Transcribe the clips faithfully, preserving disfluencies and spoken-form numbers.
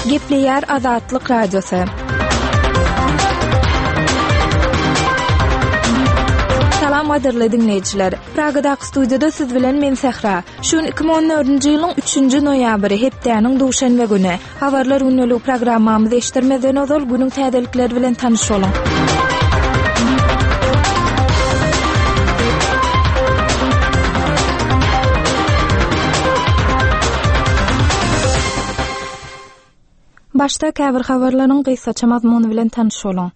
Gepleýär Azatlyk Radiosy. Salam gadyrly diňleýjiler. Pragadaky studiýada siz bilen men Sähra. Şu gün iki müň on dördünji ýylyň üçünji noýabry, hepdäniň duşenbe güni. Habarlar gündeligi programmamyzy eşitdirmezden ozal günüň täzelikleri bilen tanyş boluň. Başda käbir habarlaryň gysgaça mazmuny bilen tanyş boluň.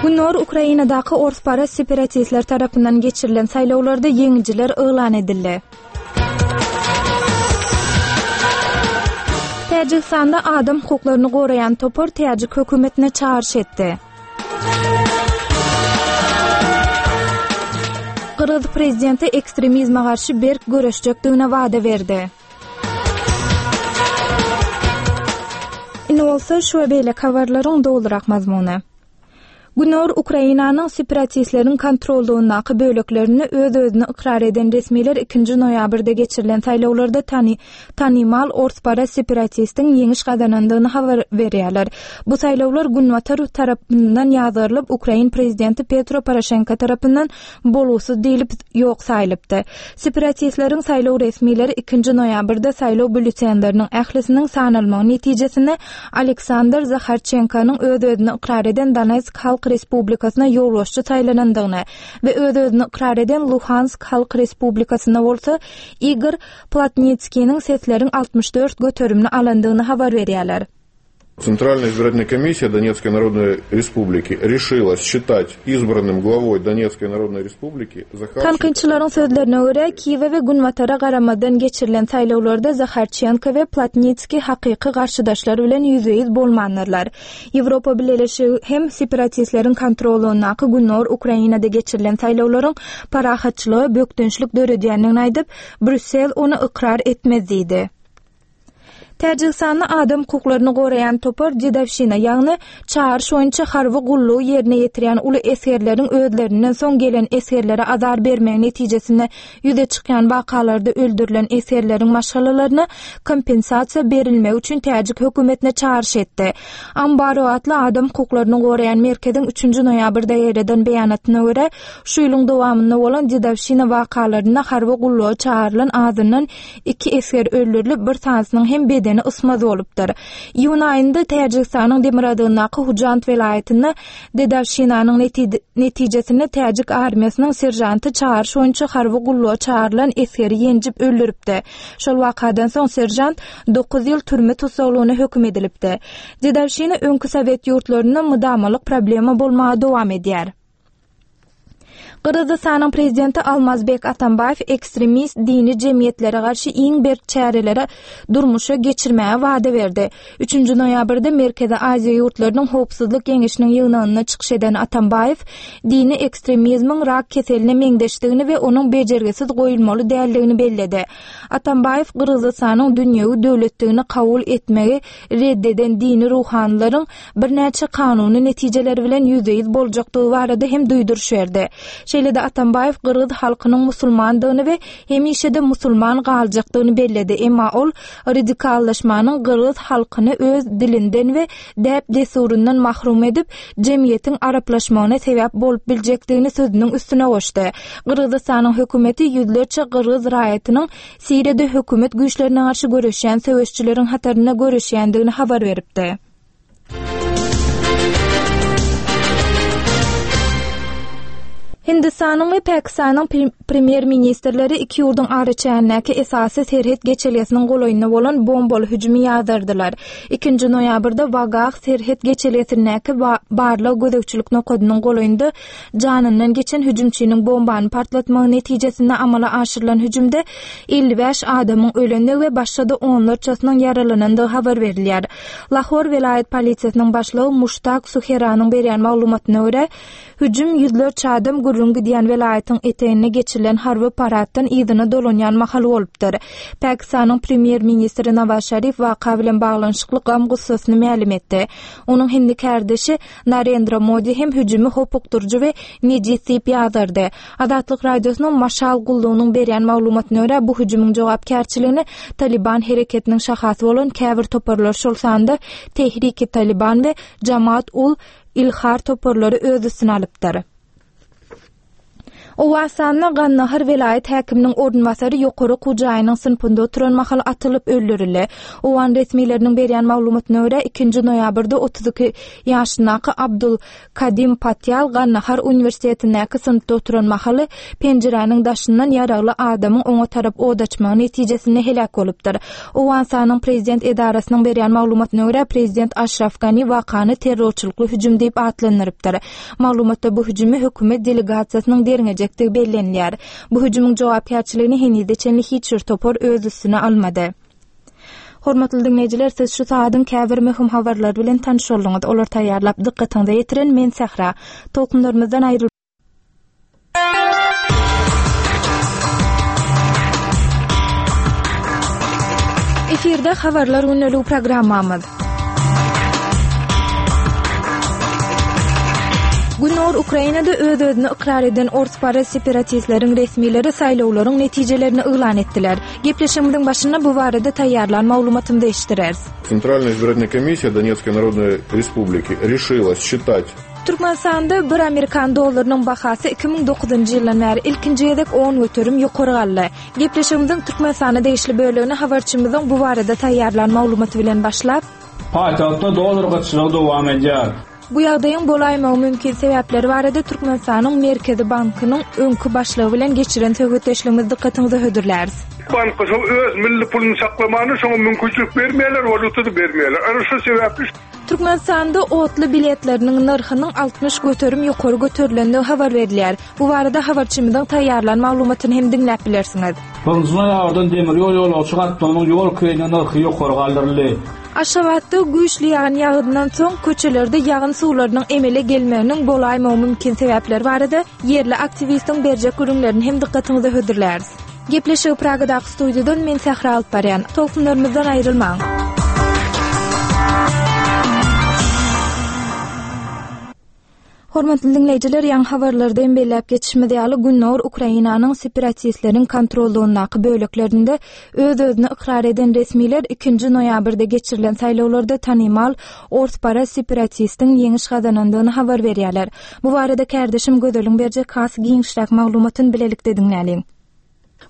Gündogar Ukrainadaky orsparaz separatistler tarapyndan geçirilen saýlawlarda ýeňijiler yglan edildi. Täjigistanda adam hukuklaryny goraýan topar täjik hökümetine çagyryş etdi. Gyrgyz prezidenti ekstremizme garşy berk göreşjekdigine wada berdi. Indi bolsa şu we beýleki habarlaryň dolurak mazmuny. Gündogar Ukrainanyň separatistleriň kontrollygyndaky böleklerini öz-özüni ykrar eden resmiler ikinji noýabrda geçirilen saýlawlarda tany-, tanymal orsparaz separatistiň ýeňiş gazanandygyny habar berýärler. Bu saýlawlar günbatar tarapyndan ýazgarylyp, Ukrain prezidenti Petro Poroşenko tarapyndan bolgusyz diýlip ýok saýylypdy. Separatistleriň saýlaw resmileri ikinji noýabrda saýlaw býulletenleriniň ählisiniň sanalmagy netijesinde Aleksandr Zaharçenkonyň öz-özüni ykrar eden Donetsk Halk Respublikasyna ýolbaşçy saýlanandygyny we öz-özüni ykrar eden Luhansk Halk Respublikasyna bolsa Igor Plotnitskiniň sesleriň altmyş dört göterimini alandygyny habar berýärler. Центральная избирательная комиссия Донецкой Народной Республики решила считать избранным главой Донецкой Народной Республики Захарченко. Tankytçylaryň sözlerine görä, Kiýewe we Günbatara garamazdan geçirilen saýlawlarda Zaharçenko we Plotnitskiý hakyky garşydaşlar bilen ýüzbe-ýüz bolmandyrlar. Ýewropa Bileleşigi hem separatistleriň kontrolyndaky Gündogar Ukrainada geçirilen saýlawlaryň parahatçylyga bökdençlik döredýändigini aýdyp, Brýussel ony ykrar etmez diýdi. Täjigistanda adam hukuklaryny goraýan topar Dedowşina, ýagny çagyryş boýunça harby gullugy ýerine ýetirýän uly esgerleriň özlerinden soň gelen esgerlere azar bermegi netijesinde ýüze çykýan wakalarda öldürilen esgerleriň maşgalalaryna kompensasiýa berilmegi üçin täjik hökümetine çagyryş etdi. Ambaro atly adam hukuklaryny goraýan merkeziň üçünji noýabrda ýereden beýanatyna görä, şu ýylyň dowamynda bolan Dedowşina wakalarynda harby gulluga çagyrylan azyndan iki esger öldürilip, bir sanysynyň hem bedeni ysmaz bolupdyr. Iýun aýynda Täjigistanyň demirgazygyndaky Hujand welaýatynda Dedowşinanyň neti-, netijesinde Täjik armiýasynyň serjanty çagyryş boýunça harby gulluga çagyrylan esgeri ýenjip öldüripdi. Şol wakadan soň serjant dokuz ýyl türme tussaglygyna höküm edilipdi. Dedowşina öňki Sowet ýurtlarynda mydamalyk problema bolmaga dowam edýär. Gyrgyzystanyň prezidenti Almazbek Atambaýew ekstremist dini jemgyýetlere garşy iň berk çärelere durmuşa geçirmäge wada berdi. Üçünji noýabrda Merkezi Aziýa ýurtlarynyň howpsuzlyk geňeşiniň ýygnagynda çykyş eden Atambaýew dini ekstremizmiň rak keseline meňzeşdigini we onuň bejergisiz goýulmaly däldigini belledi. Atambaýew Gyrgyzystanyň dünýewi döwletdigini kabul etmegi red eden dini ruhanylaryň birnäçe kanuny netijeleri bilen ýüzbe-ýüz boljakdygy barada hem duýduryş berdi. Şeýle-de Atambaýew Gyrgyz halkynyň musulmandygyny we hemişe-de musulman galjakdygyny belledi. Emma ol radikallaşmanyň Gyrgyz halkyny öz dilinden we däp-dessuryndan mahrum edip, jemgyýetiň araplaşmagyna sebäp bolup biljekdigini sözüniň üstüne goşdy. Gyrgyzystanyň hökümeti ýüzlerçe gyrgyz raýatynyň Siriýada hökümet güýçlerine garşy göreşýän söweşçileriň hatarynda göreşýändigini habar beripdi. Hindistanyň we Pakistanyň prim-, premýer-ministrleri iki ýurduň araçägindäki esasy serhet geçelgesiniň golaýynda bolan bombaly hüjümi ýazardylar. Ikinji noýabrda Wagah serhet geçelgesindäki ba-, barlag gözegçilik nokadynyň golaýynda janyndan geçen hüjümçiniň bombany partlatmagy netijesinde amala aşyrylan hüjümde elli bäş adamyň ölendigi we başga-da onlarçasynyň ýaralanandygy habar berilýär. Lahor welaýat polisiýasynyň başlygy Muştak Suheranyň berýän maglumatyna görä, hüjüm ýüzlerçe adam gürrüň gidýän edýän welaýatyň eteginde geçirilen harby paraddan yzyna dolanýan mahaly bolupdyr. Pakistanyň premýer-ministri Nawaz Şarif waka bilen baglanyşykly gam-gussasyny mälim etdi. Onuň hindi kärdeşi Narendra Modi hem hüjümi hopukdyryjy we nejis diýip ýazardy. Azatlyk Radiosynyň Maşal gullugynyň berýän maglumatyna görä, bu hüjümiň jogapkärçiligini Taliban hereketiniň şahasy bolan käbir toparlar, şol sanda Tehriki Taliban we Jamaat ul Ilhar toparlary öz üstüne alypdyr. Owganystanda Gandahar welaýat häkiminiň orunbasary ýokary okuw jaýynyň synpynda oturan mahaly atylyp öldürildi. Owgan resmileriniň berýän maglumatyna görä, ikinji noýabrda otuz iki ýaşyndaky Abdul Kadim Patýal Gandahar uniwersitetindäki synpda oturan mahaly penjiräniň daşyndan ýaragly adamyň oňa tarap od açmagy netijesinde heläk bolupdyr. Owganystanyň prezident edarasynyň berýän maglumatyna görä, prezident Aşraf Gani wakany terrorçylykly hüjüm diýip atlandyrypdyr. Maglumatda bu hüjümi hökümet delegasiýasynyň derňejekdigi bellenilýär. Bu hüjümiň jogapkärçiligini henize çenli hiç bir topar öz üstüne almady. Hormatly diňleýjiler, siz şu saadyň käbir möhüm habarlary bilen tanyş bolduňyz. Olar taýýarlap dykgatyňyza ýetiren men Sähra. Tolkunlarymyzdan aýryl Efirde habarlar gündeligi programmamyz. Gündogar Ukrainada öz-özüni ykrar eden orsparaz separatistleriň resmileri saýlawlaryň netijelerini yglan etdiler. Gepleşigimiziň başynda bu barada taýýarlan maglumatymyzy eşitdireris. Центральная избирательная комиссия Донецкой Народной Республики решила считать Türkmenistanda bir amerikan dollarynyň bahasy iki müň dokuzynjy ýyldan bäri ilkinji gezek on göterim ýokary galdy. Gepleşigimiziň Türkmenistana degişli bölegini habarçymyzyň bu barada taýýarlan maglumaty bilen başlap, Paýtagtda dollar gytçylygy dowam edýär. Bu ýagdaýyň bolaýmagy mümkin sebäpleri barada Türkmenistanyň Merkezi Bankynyň öňki başlygy bilen geçiren söhbetdeşligimizi dykgatyňyza hödürläris. Bank öz milli puluny saklamany şoňa mümkinçilik bermeýärler, walýutada bermeýärler. Ana şu sebäpli Türkmenistanda otly biletleriniň nyrhynyň altmyş göterim ýokary göterilendigi habar berilýär. Bu barada habarçymyzyň taýýarlan maglumatyny hem diňläp bilersiňiz. Birinji noýabrdan demir ýol ýolagçy gatnawynyň ýol kireýiniň nyrhy ýokary galdyryldy. Aşgabatda güýçli ýagyn ýagyndan soň köçelerde ýagyn suwlarynyň emele gelmeginiň bolaýmagy mümkin sebäpleri barada ýerli aktiwistiň berjek gürrüňlerini hem dykgatyňyza hödürläris. Gepleşigi Pragadaky studiýadan men Sähra alyp barýan. Tolkunlarymyzdan aýrylmaň. Hormatly diňleýjiler, ýaňy habarlarda hem belläp geçişimiz ýaly, Gündogar Ukrainanyň separatistleriň kontrollugyndaky böleklerinde öz-özüni ykrar eden resmiler ikinji noýabrda geçirilen saýlawlarda tanymal orsparaz separatistiň ýeňiş gazanandygyny habar berýärler. Bu barada kärdeşim Gözeliň berjek has giňişräk maglumatyny bilelikde diňläliň.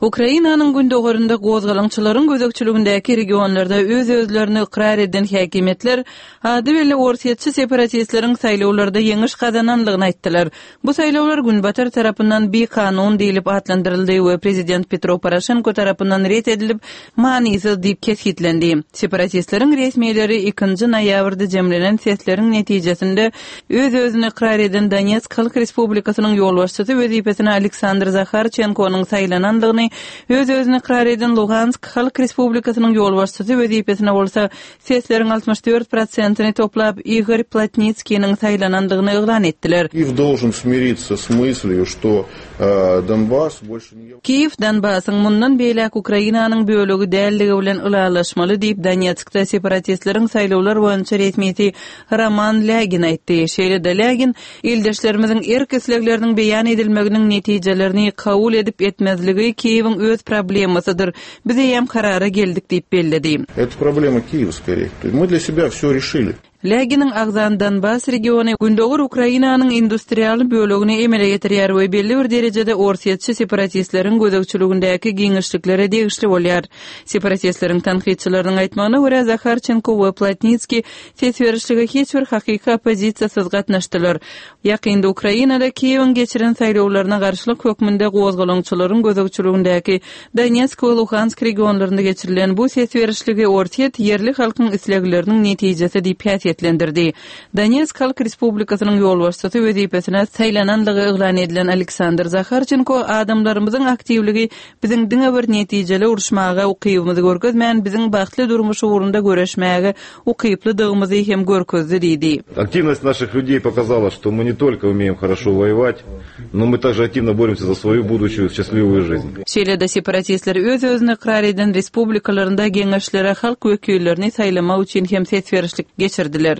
Ukrainanyň gündogarynda gozgalaňçylaryň gözegçiligindäki regionlarda öz-özlerini ykrar eden häkimiýetler ady belli orsýetçi separatistleriň saýlawlarda ýeňiş gazananlygyny aýtdylar. Bu saýlawlar günbatar tarapyndan bikanun diýlip atlandyryldy we prezident Petro Poroşenko tarapyndan ret edilip, manysyz diýip kesgitlendi. Separatistleriň resmileri ikinji noýabrda jemlenen sesleriň netijesinde öz-özüni ykrar eden Donetsk Halk Respublikasynyň ýolbaşçysy wezipesine Aleksandr Zaharçenkonyň saýlanandygyny, öz-özüni ykrar eden Luhansk Halk Respublikasynyň ýolbaşçysy wezipesine bolsa sesleriň altmyş dört prosentini toplap Igor Plotnitskiniň saýlanandygyny yglan etdiler. Kiýew должен смириться с мыслью, что, э, Донбасс больше не Kiýew Donbassyň mundan beýläk Ukrainanyň bölegi dälligi bilen ylalaşmaly diýip Donetskde separatistleriň saýlawlar boýunça resmisi Roman Lägin aýtdy. Şeýle-de Lägin ildeşlerimiziň erk islegleriniň beýan edilmeginiň netijelerini kabul edip etmezligi Kiýewiň öz problemasydyr. Biz eýem karara geldik diýip belledi. Это проблема Киева скорее. То есть мы для себя все решили. Läginiň agzan Donbass regiony Gündogar Ukrainanyň industrial bölegini emele getirýär we belli bir derejede orsýetçi separatistleriň gözegçiligindäki giňişliklere degişli bolýar. Separatistleriň tankytçylarynyň aýtmagyna görä Zaharçenko we Plotnitskiý ses berişlige hiç bir hakyky oppozisiýasyz gatnaşdylar. Ýakynda Ukrainada Kiýewiň geçiren saýlawlaryna garşylyk hökmünde gozgalaňçylaryň gözegçiligindäki Donetsk we Luhansk regionlarynda geçirilen bu ses berişligi Orsýet ýerli halkyň islegleriniň netijesi diýip häsiýetlendirdi. häsiýetlendirdi. Donetsk Halk Respublikasynyň ýolbaşçysy wezipesine saýlananlygy yglan edilen Aleksandr Zaharçenko adamlarymyzyň aktiwligi biziň diňe bir netijeli uruşmaga ukybymyzy görkezmän, biziň bagtly durmuş ugrunda göreşmäge ukyplydygymyzy hem görkezdi diýdi. Активность наших людей показала, что мы не только умеем хорошо воевать, но мы также активно боремся за свою будущую счастливую жизнь. Şeýle-de separatistler öz-özüni ykrar eden respublikalarynda geňeşlere halk wekillerini saýlamak üçin hem ses berişlik geçirdiler.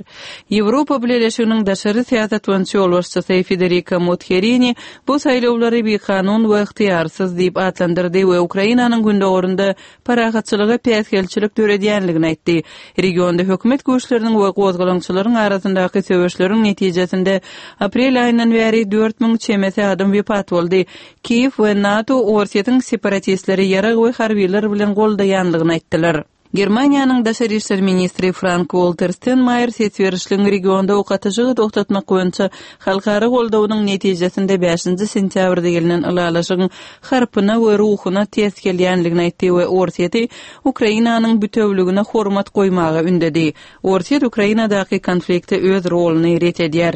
Ýewropa Bileleşiginiň daşary syýasat boýunça ýolbaşçysy Federica Mogherini bu saýlawlary bikanun we ygtyýarsyz diýip atlandyrdy we Ukrainanyň gündogarynda parahatçylyga päsgelçilik döredýänligini aýtdy. Regionda hökümet güýçleriniň we gozgalaňçylaryň arasyndaky söweşleriň netijesinde aprel aýyndan bäri dört müň çemesi adam wepat boldy. Kiýew we NATO Orsýetiň separatistleri ýarag we harbiler bilen goldaýanlygyny aýtdylar. Germaniýanyň daşary işler ministri Frank Walter Steinmeier ses berişligiň regionda ok atyşygy togtatmak boýunça halkara goldawynyň netijesinde bäşinji sentýabrda gelnen ylalaşygyň harpyna we ruhuna ters gelýänligini aýtdy we Orsýeti Ukrainanyň bütewligine hormat goýmaga ündedi. Orsýet Ukrainadaky konflikte öz roluny ret edýär.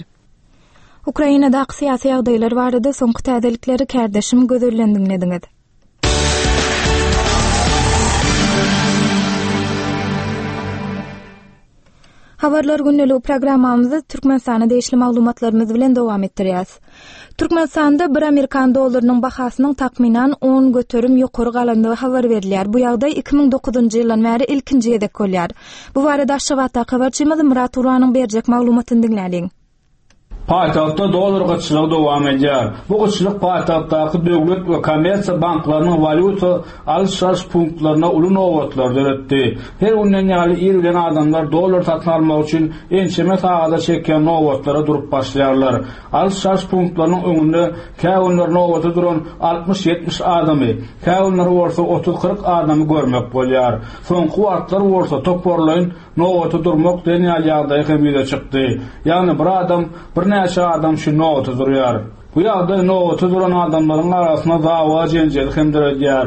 Ukrainadaky syýasy ýagdaýlar barada soňky täzelikleri kärdeşim Gözelden diňlediňiz. Habarlar günlüğü programmamyzy Türkmenistana degişli maglumatlarymyz bilen dowam etdirýäs. Türkmenistanda bir Amerikan dollarynyň bahasynyň takmynan on göterim ýokary galandygy habar berilýär. Bu ýagdaý iki müň dokuzynjy ýyldan bäri ilkinji gezek bolýar. Bu barada Aşgabatdaky habarçymyz Murat Uranyň berjek maglumatyny diňläliň. Paýtagtda dollar gytçylygy dowam edýär. Bu gytçylyk paýtagtdaky döwlet we kommersiýa banklarynyň walýuta alyş-çalyş punktlaryna uly nobatlar döretdi. Her günden ýaly ir bilen adamlar dollar satyn almak üçin ençeme sagada çekýän nobatlara durup başlaýarlar. Alyş-çalyş punktlarynyň öňünde käwünler nobata duran altmyş ýetmiş adamy, käwünler bolsa otuz kyrk adamy görmek bolýar. Soňky wagtlar bolsa toparlaýyn nobata durmak diýen ýaly ýagdaý hem ýüze çykdy. Ýagny bir adam birnäçe adam şu nobata durýar. Bu ýagdaý nobata duran adamlaryň arasynda dawa jenjeli hem döredýär.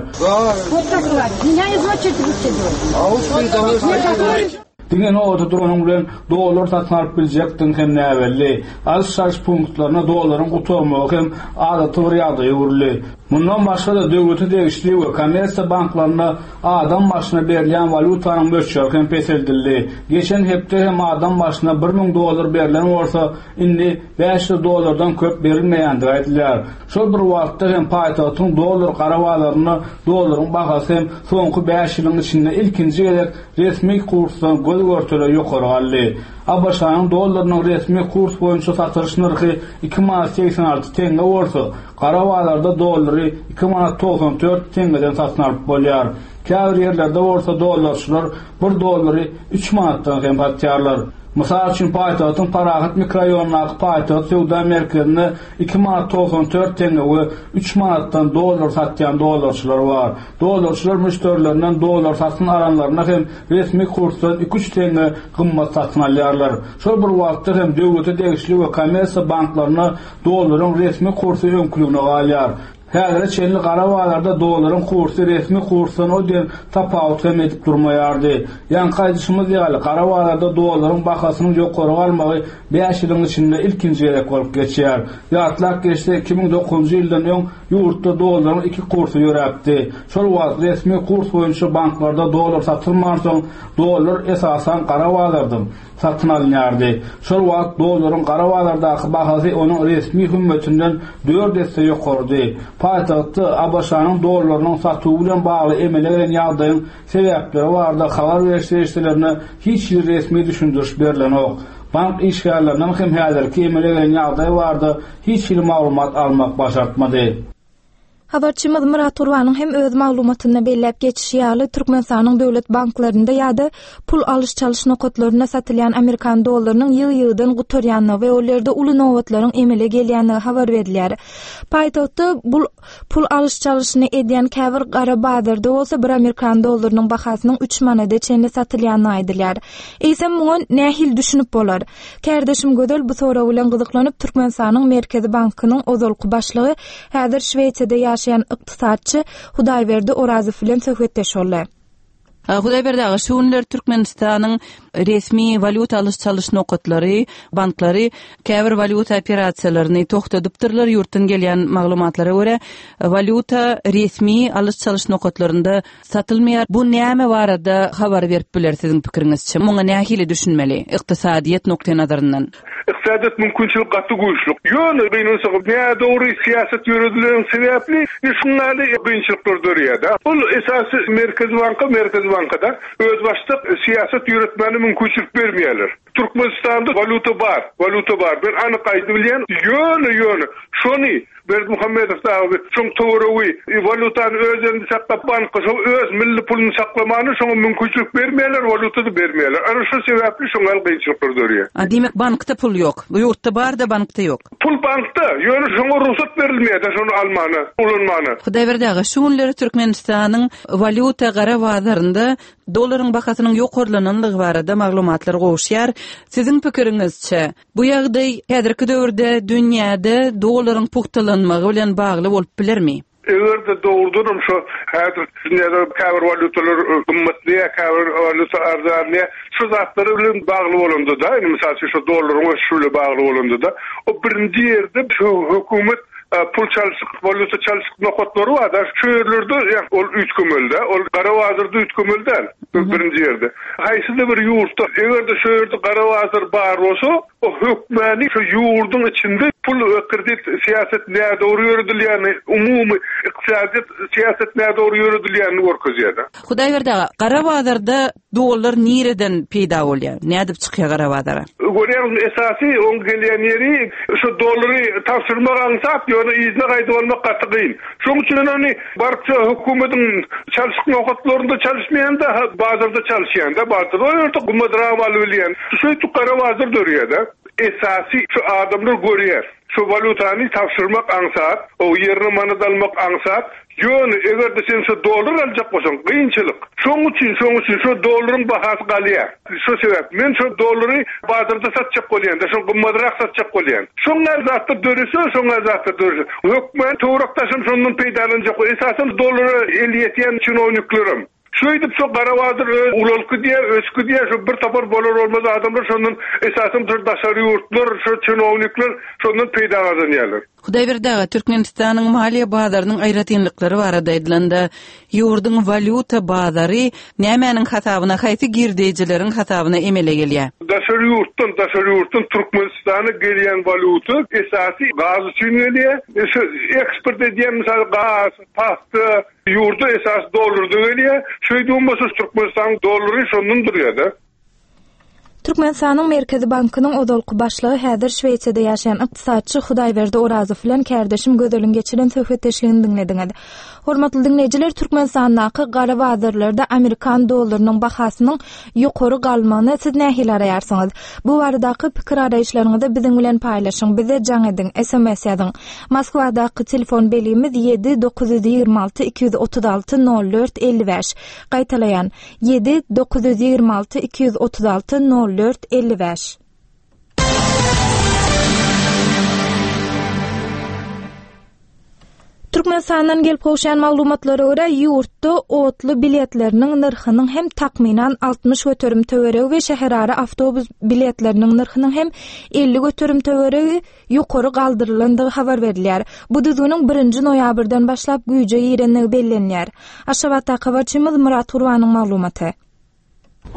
Diňe nobata duranyň bilen dollar satyn alyp biljekdiň hem näbelli. Alyş-çalyş punktlaryna dollaryň gutarmagy hem adaty bir ýagdaýa öwrüldi. Mundan başga-da döwlete degişli we kommersiýa banklarynda adam başyna berilýän walýutanyň möçberi hem peseldildi. Geçen hepde hem adam başyna bir müň dollar berlen bolsa, indi bäş ýüz dollardan köp berilmeýändigi aýdylýar. Şol bir wagtda hem paýtagtyň dollar gara bazarynda dollaryň bahasy hem soňky bäş ýylyň içinde ilkinji gezek resmi kursdan göz görtele ýokary galdy. A B Ş-nyň dollarynyň resmi kurs boýunça satylyş nyrhy iki manat seksen alty tenge bolsa, gara bazarda dollary iki manat togsan dört tengeden satyn alyp bolýar. Käbir ýerlerde bolsa dollarçylar bir dollary üç manatdan hem satýarlar. Mysal üçin paýtagtyň Parahat mikrorayonundaky paýtagt söwda merkezinde iki manat togsan dört tenge we üç manatdan dollar satýan dollarçylar bar. Dollarçylar müşderilerinden dollar satyn alanlaryna hem resmi kursdan iki üç tenge gymmat satyn alýarlar. Şol bir wagtda hem döwlete degişli we kommersiýa banklaryna dollaryň resmi kursy öňküligine galýar. Häzire çenli gara bazarda dollaryň kursy resmi kursdan o diýen tapawut hem edip durmaýardy. Ýaňky aýdyşymyz ýaly gara bazarda dollaryň bahasynyň ýokary galmagy bäş ýylyň içinde ilkinji gezek bolup geçýär. Ýatlak geçse iki müň dokuzynjy ýyldan öň ýurtda dollaryň iki kursy ýöräpdi. Şol wagt resmi kurs boýunça banklarda dollar satylmansoň dollar esasan gara bazarda satyn alynýardy. Şol wagt dollaryň gara bazardaky bahasy onuň resmi hümmetinden dört esse ýokarydy. Paýtagtda A B Ş-nyň dollarynyň satuwy bilen bagly emele gelen ýagdaýyň sebäpleri barada habar beriş serişdelerine hiç bir resmi düşündiriş berilenok. Bank işgärlerinden hem häzirki emele gelen ýagdaý barada hiç bir maglumat almak başartmady. Habarçymyz Murat Gurbanyň hem öz maglumatynda belläp geçişi ýaly Türkmenistanyň döwlet banklarynda ýa-da pul alyş-çalyş nokatlarynda satylýan Amerikan dollarynyň ýygy-ýygydan gutarýanlygy we ol ýerde uly nobatlaryň emele gelýänligi habar berilýär. Paýtagtda bul pul alyş-çalyşyny edýän käbir gara bazarda bolsa bir Amerikan dollarynyň bahasynyň üç manada çenli satylýanlygy aýdylýar. Eýsem muňa nähili düşünip bolar? Kärdeşim Gözel bu sorag bilen gyzyklanyp Türkmenistanyň Merkezi Bankynyň ozalky başlygy häzir Şweýsiýada ýaşaýan ykdysatçy Hudaýberdi Orazow bilen söhbetdeş boldy. Hudaýberdi aga, şu günler Türkmenistanyň Resmi walýuta alyş-çalyş nokatlary, banklary käbir walýuta operasiýalaryny togtadypdyrlar. Ýurtdan gelýän maglumatlara görä, walýuta resmi alyş-çalyş nokatlarynda satylmaýar. Bu näme barada habar berip biler siziň pikiriňizçe? Muňa nähili düşünmeli ykdysadyýet nukdaý nazaryndan? Ykdysadyýet mümkinçilik gaty güýçli. Ýöne gynansak, nädogry syýasat ýöredilen sebäpli şundaly kynçylyklar dörýär-de. Ol esasy Merkez banka, Merkez bankada özbaşdak syýasat ýöretmäne mümkinçilik bermeýärler. Türkmenistanda walýuta bar, walýuta bar. Ben anyk aýdyp bilýän, ýöne ýöne şony Berdimuhamedow dagy şoň töweregi walýutany öz elinde saklap banka şo öz milli puluny saklamany şoňa mümkinçilik bermeýärler, walýuta bermeýärler. Ana şu sebäpli şoňa kynçylyklar dörýär. A diýmek bankda pul ýok. Bu ýurtda bar da bankda ýok. Pul bankda, ýöne şoňa rugsat berilmeýär, şony almana, ulanmana. Hudaýberdi aga, şu günleri Türkmenistanyň walýuta gara bazarynda dollaryň bahasynyň ýokarlananlygy barada maglumatlar gowuşýar. Siziň pikiriňizçe, bu ýagdaý häzirki döwürde dünýäde dollaryň pugtalanmagy bilen bagly bolup bilermi? Eger de dogrudanam şu häzir dünýäde käbir walýutalar gymmatly, käbir walýuta arzanly, şu zatlary bilen bagly bolanda da, indi mysal üçin şu dollaryň ösüşi bilen bagly bolanda da, o birinji ýerde şu hökümet pul çalşyk, walýuta çalşyk nokatlary bar da, şu ýerlerde ýa ol üýtgemeli, ol gara bazarda üýtgemeli däl, birinji ýerde. Haýsy bir ýurtda eger de şu ýerde gara bazar bar bolsa, o hökmany şu ýurduň içinde pul we kredit syýasat nädogry ýöredilýäni, umumy ykdysadyýet syýasat nädogry ýöredilýänini görkezýär. Hudaýberdi aga, gara bazarda dollar nireden peýda bolýar? Nädip çykýar gara bazara? Görýäňiz, esasy oň gelýän ýeri şu dollary tabşyrmak aňsat, ýöne yzyna gaýdyp almak gaty kyn. Şonuň üçin ony baryp şu hökümetiň çalşyk nokatlarynda çalyşmaýan-da, bazarda çalyşýan-da, bazarda o ýerde gymmatrak alyp bilýän. Şu gara bazar dörýär-de. Esasy şu adamlar görýär. Şu walýutany tabşyrmak aňsat, o ýerine manat almak aňsat. Ýöne eger de sen şu dollar aljak bolsaň, kynçylyk. Şonuň üçin, şonuň üçin şu dollaryň bahasy galýar. Şu sebäp men şu dollary bazarda satjak bolýan, da şo gymmatrak satjak bolýan. Şoňa zatda dörese, şoňa zatda dörese. Hökmen töwerekdaşym şondan peýdalanjak. Esasen dollara el ýetýän çinowniklerim. Şöýdüp şu gara bazar öz ulalky diýe, ösky diýe, şu bir tapar bolar olmaz adamlar şondan esasen şu daşary ýurtlar, şu çinownikler şondan peýda gazanýarlar. Hudaýberdi aga, Türkmenistanyň maliýe bazarynyň aýratynlyklary barada aýdylanda, ýurduň walýuta bazary nämäniň hasabyna, haýsy girdejileriň hasabyna emele gelýär? Daşary ýurtdan, daşary ýurtdan Türkmenistana gelýän walýuta esasy gaz üçin gelýär. E, şu eksport edýän mysal gaz, pagta, ýurda esas dollarda gelýär. Şeýdip bolsa Türkmenistanyň dollary şondan durýar-da. Türkmenistanyň Merkezi Bankynyň ozalky başlygy häzir Şweýsiýada ýaşaýan ykdysatçy Hudaýberdi Orazow bilen kärdeşim Gözeliň geçiren söhbetdeşligini diňlediňiz. Hormatly diňleýjiler, Türkmenistandaky gara bazarlarda Amerikan dollarynyň bahasynyň ýokary galmagyna siz nähili araýarsyňyz? Bu baradaky pikir araýyşlaryňyzy biziň bilen paýlaşyň, bize jaň ediň, S M S ýazyň. Moskwadaky telefon belgimiz ýedi dokuz ýüz ýigrimi alty iki ýüz otuz alty nol dört elli bäş. Gaýtalaýan ýedi dokuz ýüz ýigrimi alty iki ýüz otuz alty nol dört elli bäş. Türkmenistandan gelip gowşan maglumatlara görä, ýurtda otly biletleriniň nyrhynyň hem takmynan altmyş göterim töweregi we şäherara awtobus biletleriniň nyrhynyň hem elli göterim töweregi ýokary galdyrylandygy habar berilýär. Bu düzgüniň birinji noýabrdan başlap güýje girenligi bellenýär. Aşgabatda habarçymyz Murat Gurbanyň maglumaty.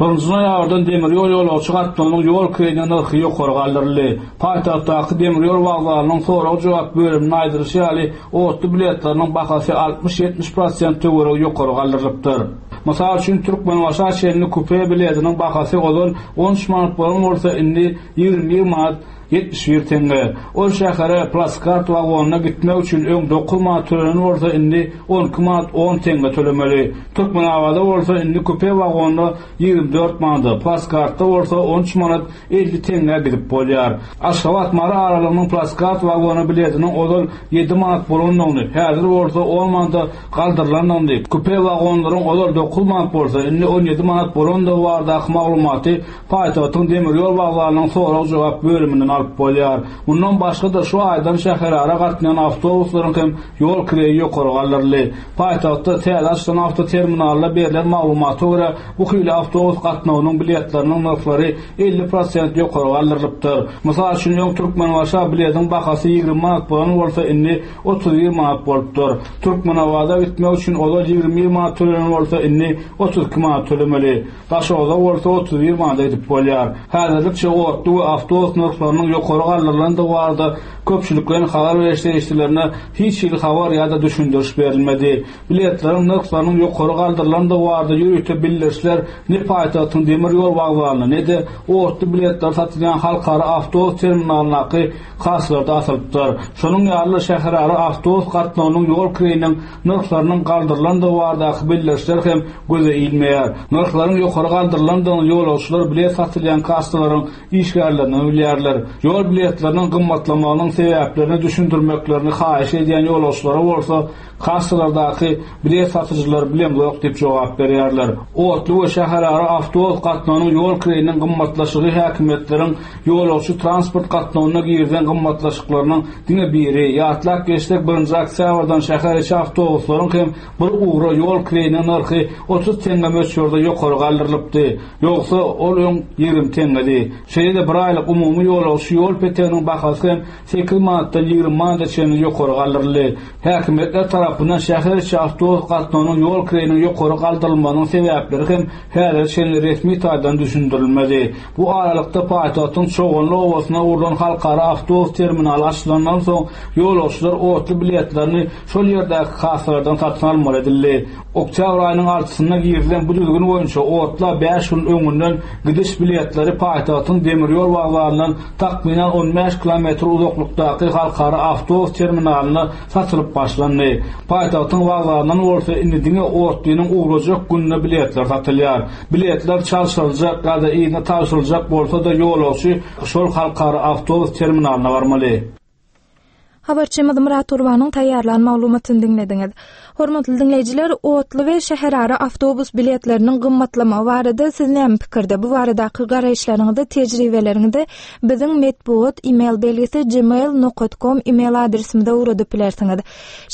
Birinji noýabrdan demir ýol ýolagçy gatnawynyň ýol kireýiniň nyrhy ýokary galdyryldy. Paýtagtdaky demir ýol wokzalynyň sorag-jogap bölüminiň aýdylyşy ýaly, otly biletleriniň bahasy altmyş-ýetmiş prosent töweregi ýokary galdyrylypdyr. Mysal üçin, Türkmenbaşy şäherinde kupe biletiniň bahasy ozal on üç manat bolan bolsa, indi ýigrimi bir manat ýetmiş bir tenge. Ol şähere plaskart wagonyna gitmek üçin öň dokuz manat tölenen bolsa, indi on iki manat on tenge tölemeli. Türkmenabada bolsa indi kupe wagonyna ýigrimi dört manada, plaskartda bolsa on üç manat elli tenge gidip bolýar. Aşgabat Mary aralygynyň plaskart wagony biletiniň ozal ýedi manat bolandygyny, häzir bolsa on manada galdyrylandygyny, kupe wagonlaryň ozal dokuz manat bolsa, indi on ýedi manat bolandygy baradaky maglumaty paýtagtyň demir ýol wokzalynyň sorag-jogap bölüminden alyp bolýar. Mundan başga-da şu aýdan şäherara gatnaýan awtobuslaryň hem ýol kireýi ýokary galdyryldy. Paýtagtda täze açylan awtoterminalda berlen maglumata görä, bu hili awtobus gatnawynyň biletleriniň nyrhlary elli prosent ýokary galdyrylypdyr. Mysal üçin, öň Türkmenbaşa biletiň bahasy ýigrimi manat bolan bolsa, indi otuz bir manat bolupdyr. Türkmenabada gitmek üçin ozal ýigrimi bir manat tölenen bolsa, indi otuz iki manat tölemeli. Daşoguzda bolsa otuz bir manata gidip bolýar. Häzirlikçe otly we awtobus nyrhlarynyň ýokary galdyrylandygy barada köpçülikleýin habar beriş serişdelerine hiç hili habar ýa-da düşündiriş berilmedi. Biletleriň nyrhlarynyň ýokary galdyrylandygy barada ýörite bildirişler ne paýtagtyň demir ýol wokzalynda, ne-de otly biletler satylýan halkara awtobus terminalyndaky kassalarda asylypdyr. Şonuň ýaly şäherara awtobus gatnawynyň ýol kireýiniň nyrhlarynyň galdyrylandygy baradaky bildirişler hem göze ilmeýär. Nyrhlaryň ýokary galdyrylandygyny ýolagçylar bilet satylýan kassalaryň işgärlerinden bilýärler. Ýol biletleriniň gymmatlamagynyň sebäplerini düşündirmeklerini haýyş edýän ýolagçylara bolsa kassalardaky bilet satyjylar bilemzok diýip jogap berýärler. Otly we şäherara awtobus gatnawynyň ýol kireýiniň gymmatlaşygy häkimiýetleriň ýolagçy transport gatnawyna girizen gymmatlaşyklarynyň diňe biri. Ýatlap geçsek, birinji oktýabrdan şäher içi awtobuslaryň hem bir ugra ýol kireýiniň nyrhy otuz teňňe möçberde ýokary galdyrylypdy. Ýogsa ol öň ýigrimi teňňedi. Şeýle-de bir aýlyk umumy ýolagçy ýol peteginiň bahasy hem sekiz manatdan ýigrimi manata çenli ýokary galdyryldy. Häkimiýetler tarapyndan şäher içi awtobus gatnawynyň ýol kireýiniň ýokary galdyrylmagynyň sebäpleri hem häzir çenli resmi taýdan düşündirilmedi. Bu aralykda paýtagtyň Çoganly obasyna gurlan halkara awtobus terminaly açylandan soň ýolagçylar otly biletlerini şol ýerdäki kassalardan satyn almaly edildi. Oktýabr aýynyň altysynda girizilen bu düzgün boýunça otla bäş gün öňünden gidiş biletleri paýtagtyň demir ýol wokzalyndan takmynan on bäş kilometr uzaklykdaky halkara awtobus terminalynda satylyp başlandy. Paýtagtyň wokzalyndan bolsa indi diňe otlynyň ugrajak gününe biletler satylýar. Biletler çalşyryljak ýa-da yzyna tabşyryljak bolsa-da ýolagçy şol halkara awtobus terminalyna barmaly. Habarçymyz Murat Gurbanyň taýýarlan maglumatyny diňlediňiz. Hormatly diňleýjiler, otly we şäherara awtobus biletleriniň gymmatlamagy barada siz näme pikirde? Bu baradaky garaýyşlaryňyzy, tejribeleriňizi biziň metbugat e-mail belgisi gmail nokta com e-mail adresimize ugradyp bilersiňiz.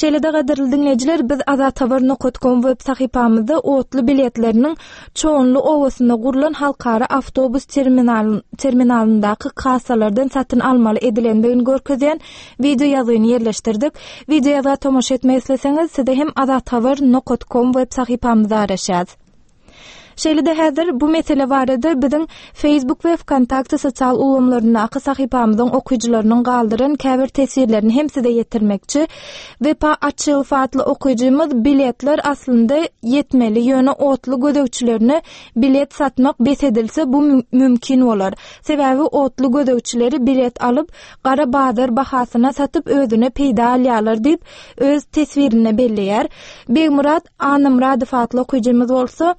Şeýle-de gadyrly diňleýjiler, biz azathabar nokta com web sahypamyzda otly biletleriniň Çoganly obasynda gurlan halkara awtobus terminal-, terminalyndaky kassalardan satyn almaly edilendigini görkezýän video ýazgyny ýerleşdirdik. Video ýazga tomaşa etmek isleseňiz, size hem azathabar nokta com web sahypamyzda araşýarys. Şeýle-de häzir bu mesele barada biziň Facebook we Vkontakte sosial ulgamlaryndaky sahypamyzyň okyjylarynyň galdyran käbir teswirlerini hem size ýetirmekçi. Wepa Açylow atly okyjymyz biletler aslynda ýetmeli, ýöne otly gözegçilerine bilet satmak bes edilse bu müm-, mümkin bolar. Sebäbi otly gözegçileri bilet alyp gara bazar bahasyna satyp özüne peýda alýarlar diýip öz teswirinde belleýär. Begmurat Anamradow atly okyjymyz bolsa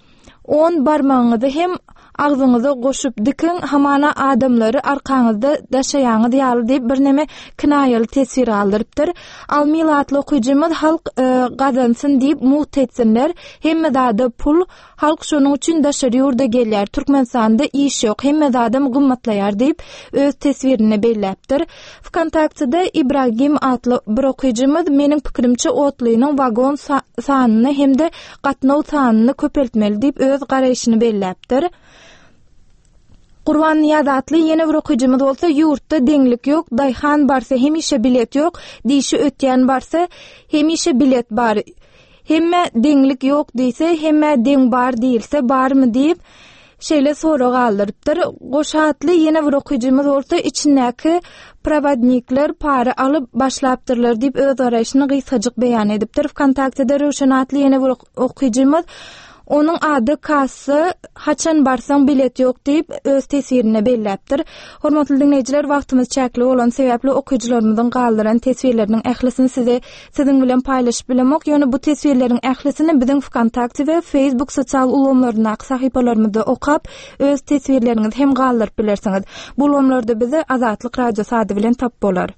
on barmagyňyzy hem agzyňyza goşup dikin, hamana adamlary arkaňyzda daşaýaňyz ýaly diýip bir neme kinaýaly teswir aldyrypdyr. Almil atly okyjymyz halk, e, gazansyn diýip mugt etsinler. Hemme zada pul, halk şonuň üçin daşary ýurda gelýär. Türkmenistanda iş ýok, hemme zadam gymmatlaýar diýip öz teswirinde belläpdir. Vkontaktede Ibragim atly bir okyjymyz meniň pikirimçe otlynyň wagon sa-, sanyny hem-de gatnaw sanyny köpeltmeli diýip öz garaýşyny belläpdir. Gurban Niýaz atly ýene bir okyjymyz bolsa ýurtda deňlik ýok, daýhan barsa hemişe bilet ýok, dişi ötýän barsa hemişe bilet bar. Hemme deňlik ýok diýse, hemme deň bar diýilse barmy diýip şeýle sorag aldyrypdyr. Goşa atly ýene bir okyjymyz bolsa içindäki provodnikler para alyp başlapdyrlar diýip öz garaýşyny gysgajyk beýan edipdir. Vkontaktede Röwşen atly ýene bir okyjymyz Onuň ady kassa, haçan barsaň bilet ýok diýip öz teswirine belläpdir. Hormatly diňleýjiler, wagtymyz çäkli bolan sebäpli okyjylarymyzyň galdyran teswirleriniň ählisini size siziň bilen paýlaşyp bilemok. Ýöne bu teswirleriň ählisini biziň Vkontakte we Facebook sosial ulgamlaryndaky sahypalarymyzda okap, öz teswirleriňizi hem galdyryp bilersiňiz. Bu ulgamlarda bizi Azatlyk Radiosy ady bilen tap bolar.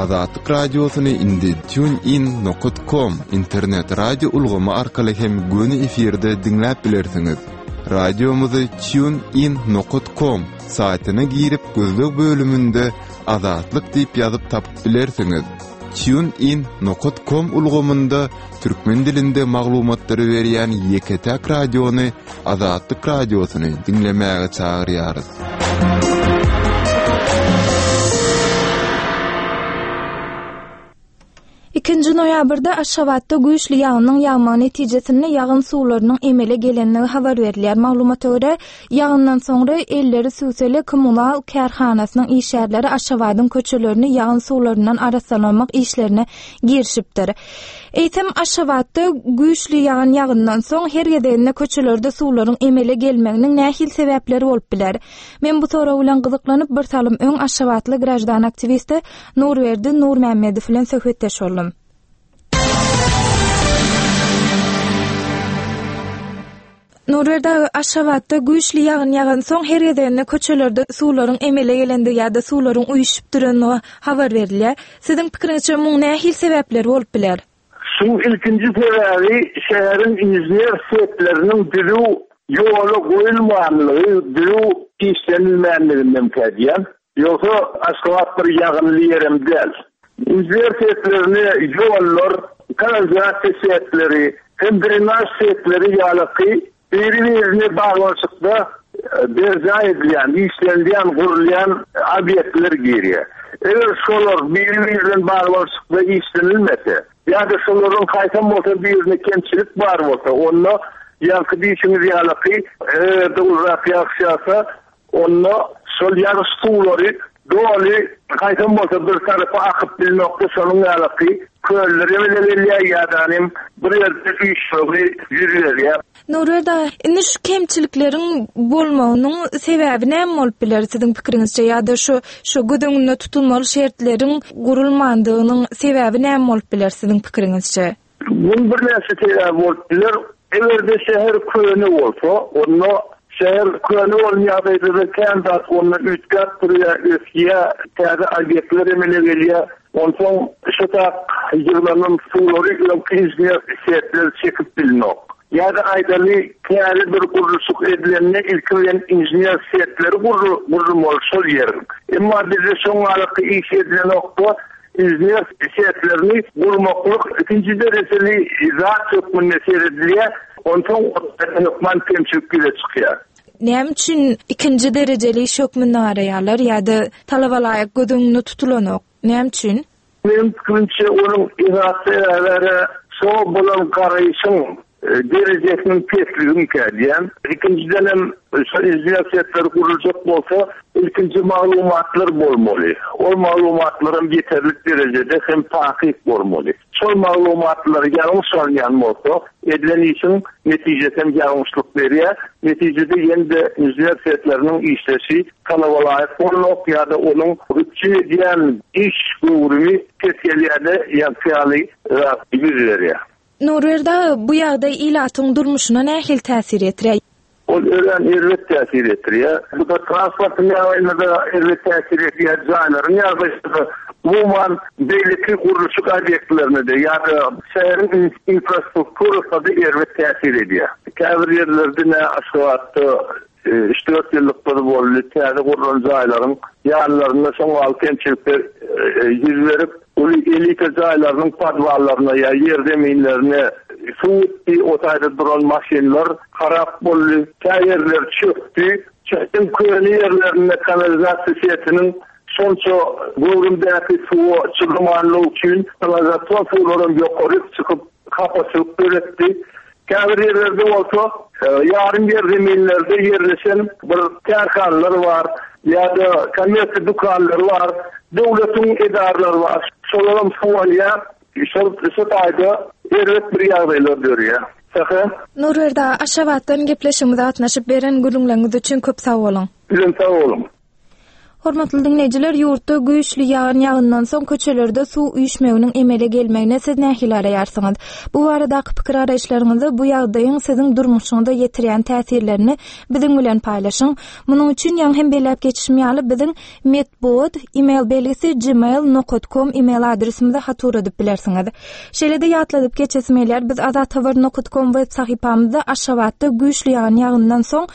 Azatlyk Radiosyny indi TuneIn nokta com internet radio ulgamy arkaly hem göni efirde diňläp bilersiňiz. Radiomuzy tunein nokta com saýtyna girip gözleg bölüminde Azatlyk diýip ýazyp tapyp bilersiňiz. tunein nokta com ulgamynda türkmen dilinde maglumatlary berýän ýeke-täk radiony Azatlyk radiosyny diňlemäge çagyrýarys. Ikinji noýabrda Aşgabatda güýçli ýagynyň ýagmagy netijesinde ýagyn suwlarynyň emele gelenligi habar berilýär. Maglumata görä, ýagyndan soňra elleri süwseli kommunal kärhanasynyň işgärleri Aşgabadyň köçelerini ýagyn suwlaryndan arassalamak işlerine girişipdir. Eýsem Aşgabatda güýçli ýagyn ýagyndan soň her gezeginde köçelerde suwlaryň emele gelmeginiň nähili sebäpleri bolup biler? Men bu sorag bilen gyzyklanyp bir salym öň Aşgabatly grajdan aktiwisti Nurberdi Nurmämmedow bilen söhbetdeş boldum. Nurberdi aga, Aşgabatda güýçli ýagyn ýagan soň her gezeginde köçelerde suwlaryň emele gelendigi ýa-da suwlaryň uýuşyp durandygy habar berilýär. Siziň pikiriňizçe muň nähili sebäpleri bolup biler? Şu ilkinji sebäbi şäheriň inžener setleriniň düzüw ýola goýulmanlygy, düzüw işlenilmänliginden kädýän. Ýogsa Aşgabat bir ýagynly ýerem däl. Inžener setlerini ýollar, kanalizasiýa setleri, hem drenaj setleri ýalyky biri-birine baglanyşykda berjaý edilýän, işlenilýän, gurulýan obýektler girýär. Eger şolar biri-birinden baglanyşykda işlenilmese, ýa-da şolaryň haýsam bolsa birine kemçilik bar bolsa, onda ýaňky diýşiňiz ýalyky, eger-de uzak ýagyş ýagsa, onda şol ýagyş suwlary doly haýsam bolsa bir tarapa akyp bilmekde şonuň ýalyky köllere bile gelýär ýa-da bir ýerde üýşmegi ýüz berýär. Nurberdi aga, indi şu kemçilikleriň bolmagynyň sebäbi näme bolup biler siziň pikiriňizçe ýa-da şu, şu göz öňünde tutulmaly şertleriň gurulmandygynyň sebäbi näme bolup biler siziň pikiriňizçe? Bunun birnäçe sebäbi bolup biler. Eger-de şäher köne bolsa, onda şäher köne bolan ýagdaýda kän zat onda üýtgäp durýar, ösýär, täze obýektler emele gelýär. Onsoň şu tak ýygnanan suwlary öňki inžener setler çekip bilmek. Ýa-da aýdaly täze bir gurluşyk edilende ilki bilen inžener setleri gurulmaly şol ýeriň. Emma bizde şoň araky iş edilen nokta inžener setlerini gurmaklyk ikinji derejeli zat hökmünde seredilýär. Onsoň hökman kemçilik ýüze çykýar. Näme üçin ikinji derejeli iş hökmünde garaýarlar ýa-da talaba laýyk göz öňünde tutulanok? Näme üçin? Meniň pikirimçe onuň esasy sebäpleri şo bolan garaýşyň derejesiniň pesligini kädýän. Ikinjiden hem şo inžener setleri guruljak bolsa, ilkinji maglumatlar bolmaly. Ol maglumatlaram ýeterlik derejede hem takyk bolmaly. Şol maglumatlar ýalňyş alýan bolsa, edilen işiň netijesi hem ýalňyşlyk berýär. Netijede ýene-de inžener setleriniň işleşi talaba laýyk bolmak ýa-da onuň üpjün edýän iş göwrümi pes gelýär-de, ýa-da ýüz berýär. Nurberdi aga, bu ýagdaý ilatyň durmuşyna nähili täsir etirýär? Ol örän erbet täsir etirýär. Bu da transportyň ýagdaýyna-da erbet täsir edýär, jaýlaryň ýagdaýyna-da, umuman beýleki gurluşyk obýektlerine-de ýa-da şäheriň infrastrukturasyna-da erbet täsir edýär. Käbir ýerlerde ne Aşgabatda üç dört ýyllyklar boldy, täze gurlan jaýlaryň ýanlarynda soň altı kemçilikler ýüz berip, uly elita jaýlarynyň podwallaryna ýa ýer zeminlerine suw gitdi, o taýda duran maşynlar harap boldy, kä ýerler çökdi. Çökden köne ýerlerinde kanalizasiýa setiniň şonça göwrümdäki suwa çydamanlygy üçin kanalizasiýa suwlaram ýokary çykyp hapaçylyk döretdi. Käbir ýerlerde bolsa, ýarym ýer zeminlerde ýerleşen bir kärhanalar bar ýa-da kommersiýa dükanlary bar, döwletiň edaralary bar. Şolaram suw alýar, şol şu taýda erbet bir ýagdaýlar dörýär. Saha. Nurberdi aga, Aşgabatdan gepleşigimize gatnaşyp beren gürrüňleriňiz üçin köp sag boluň. Sizem sag boluň. Hormatly diňleýjiler, ýurtda güýçli ýagyn ýagyndan soň köçelerde suw üýşmeginiň emele gelmegine siz nähili garaýarsyňyz? Bu baradaky pikir garaýyşlaryňyzy, bu ýagdaýyň siziň durmuşyňyza ýetirýän täsirlerini biziň bilen paýlaşyň. Munuň üçin ýaňy hem belläp geçişim ýaly biziň metbugat email belgisi gmail nokat com email adresimize hat ugradyp bilersiňiz. Şeýle-de ýatladyp geçesim gelýär, biz azathabar nokat com web sahypamyzda Aşgabatda güýçli ýagan ýagyndan soň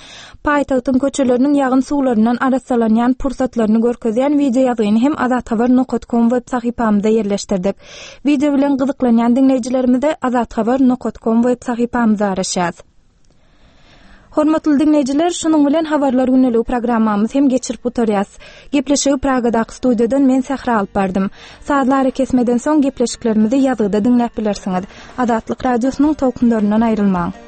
paýtagtyň köçeleriniň ýagyn suwlaryndan arassalanýan pursatlaryny görkezýän wideo ýazgyny hem azathabar nokat com web sahypamyzda ýerleşdirdik. Wideo bilen gyzyklanýan diňleýjilerimize azathabar nokat com web sahypamyzda garaşýas. Hormatly diňleýjiler, şunuň bilen habarlar gündeligi programmamyz hem geçirip gutarýas. Gepleşigi Pragadaky studiýadan men Sähra alyp bardym. Sazly arakesmeden soň gepleşiklerimizi ýazgyda diňläp bilersiňiz. Azatlyk radiosynyň tolkunlaryndan aýrylmaň.